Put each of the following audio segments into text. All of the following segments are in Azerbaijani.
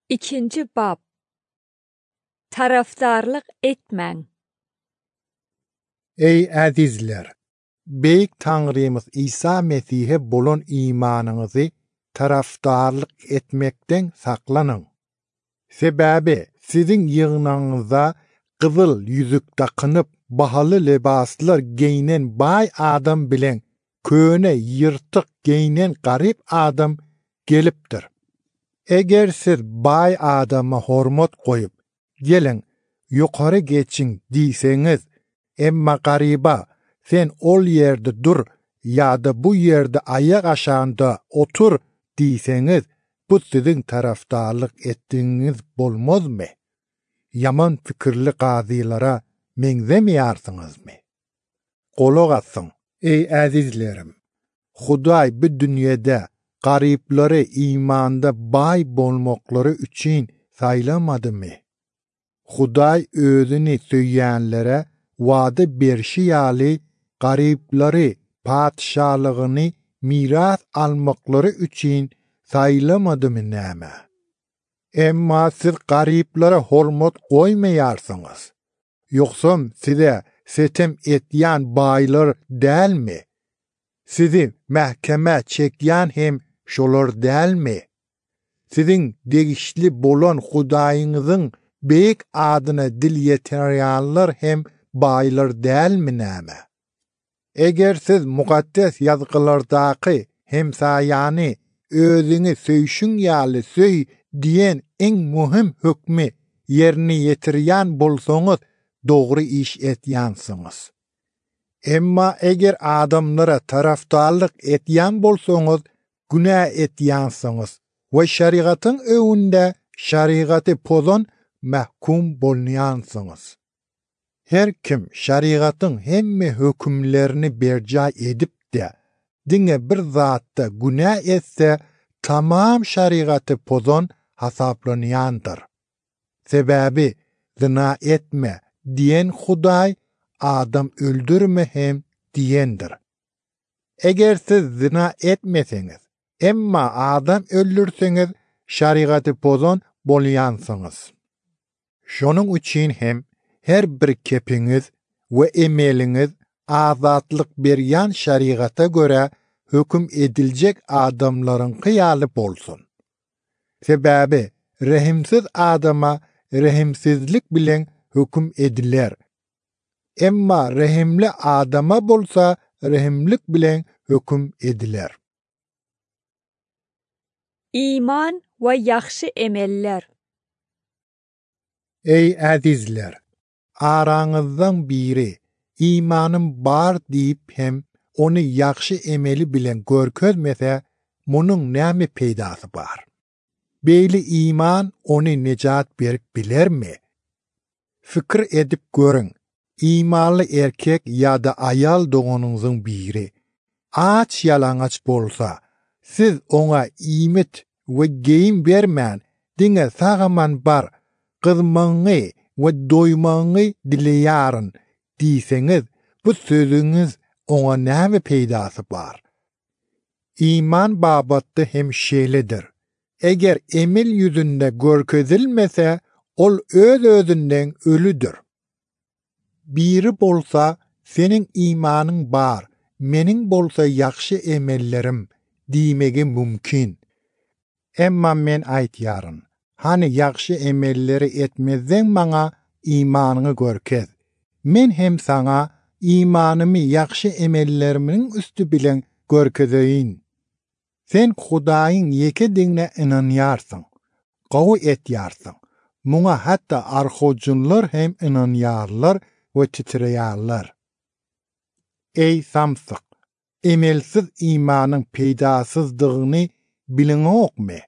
İkinci bab. Taraftarlık etmen. Ey azizler! Beyik Tanrımız İsa Mesih'e bolan imanınızı taraftarlık etmekten saklanın. Sebebi sizin yığınağınıza kızıl yüzük takınıp bahalı libaslar giyinen bay adam bilen köne yırtık giyinen garip adam gelipdir. Eger siz bay adama hormat koyup gelin yukarı geçin diyseniz, emma gariba sen ol yerde dur ya da bu yerde ayak aşağında otur diyseniz, bu sizin taraftarlık ettiğiniz bolmaz mı? Yaman fikirli gazilara menzemiyarsınız mı? Kulak asın ey azizlerim! Huday bu dünyada garipleri imanda bay bolmakları üçün saylamadı mı? Huday özünü söyleyenlere vaada berşiyali garipleri padişahlığını miras almakları üçün saylamadı mı näme? Emma siz gariplere hormat koymayarsınız. Yoksa size setem etyen baylar değil mi? Sizi mahkeme çekyen hem şolar değil mi? Sizin degişli bolan Hudayınızın beyik adına dil yeteryanlar hem baylar değil mi näme? Eger siz mukaddes yazgılardaki hemsayani özünü söýşün ýaly söý diyen en mühim hükmü yerini yetirýän bolsaňyz dogry iş etýänsiňiz. Emma eger adamlara taraftarlyk etýän bolsaňyz günah etýänsiňiz we şeriatyň öwünde şeriaty pozan mahkum bolýansyňyz. Her kim şeriatyň hemme hökümlerini berca edip de diňe bir zatda günah etse, tamam şeriaty pozan hasaplanýandyr. Sebebi zina etme diyen Huday, adam öldürme hem diyendir. Eger siz zina etmeseňiz, emma adam öldürseňiz, şeriaty pozan bolýansyňyz. Şonuň üçin hem her bir kepiňiz we emeliňiz azatlyk berýän şeriata göre höküm ediljek adamlaryň kyýaly bolsun. Sebebi rehimsiz adama rehimsizlik bilen höküm ediler. Emma rehimli adama bolsa rehimlik bilen höküm ediler. İman ve yaxşı emeller. Ey azizler! Araňyzdan biri imanım bar diýip hem onu yaxşı emeli bilen görkezmese, munyň näme peýdasy bar? Beýli iman onu nejat berip bilermi? Fikir edip görün. İmanly erkek ya da ayal doğanyňyzyň biri aç ýalaňaç bolsa, siz ona iýmit we geýim bermän diňe sagaman bar, gyzmaňy we doýmaňy dileýäryn diýseňiz, bu sözüňiz ona näme peýdasy bar? İman babatda hem şeýledir. Eger emel ýüzünde görkezilmese, ol öz özünden ölüdür. Biri bolsa, senin imanın bar, menin bolsa yaxşı emellerim diýmegi mümkin. Emma men aýtýaryn, hani yaxşı emelleri etmezden maňa imanyny görkez. Men hem saňa imanymy yaxşı emellerimiň üstü bilen görkezeýin. Sen Hudaýyň ýeke diňine inanýarsyň, gowy etýärsiň. Muňa hatda arhojunlar hem inanýarlar we titreýärler. Ey samsyk! Emelsiz imanyň peýdasyzdygyny biliňokmy?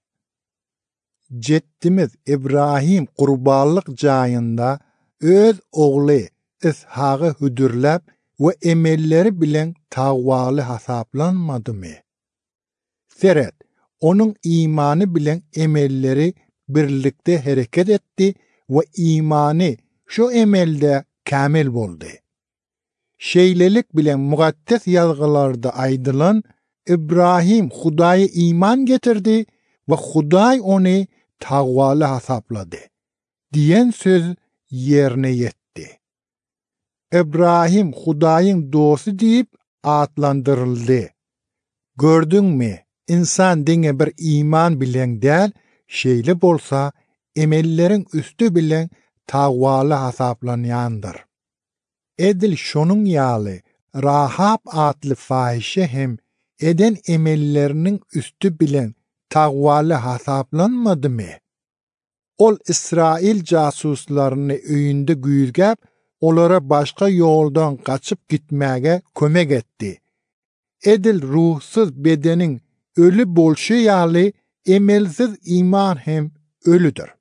Jeddimiz İbrahim qurbanlyk jaýynda öz ogly Ishagy hüdürläp we emelleri bilen tagwaly hasaplanmadymy? Seret, onun imany bilen emelleri birlikde hereket etdi we imany şu emelde kamil boldy. Şeýlelik bilen mukaddes ýazgylarda aýdylan, İbrahim Hudaýa iman getirdi we Hudaý ony taqwalı hasapladı. Diyen söz yerine yetti. İbrahim Hudaýyň dostu diýip atlandyryldy. Gördüňmi? İnsan diňe bir iman bilen däl, şeýle bolsa, emelleriň üstü bilen taqwaly hasaplanýandyr. Edil şonuň ýaly Rahab atly fahişe hem eden emelleriniň üstü bilen taqwaly hasaplanmadymy? Ol İsrail jasuslaryny öýünde güýzgäp, olara başga ýoldan gaçyp gitmäge kömek etdi. Edil ruhsuz bedeniň ölü bolşy ýaly emelsiz iman hem ölüdür.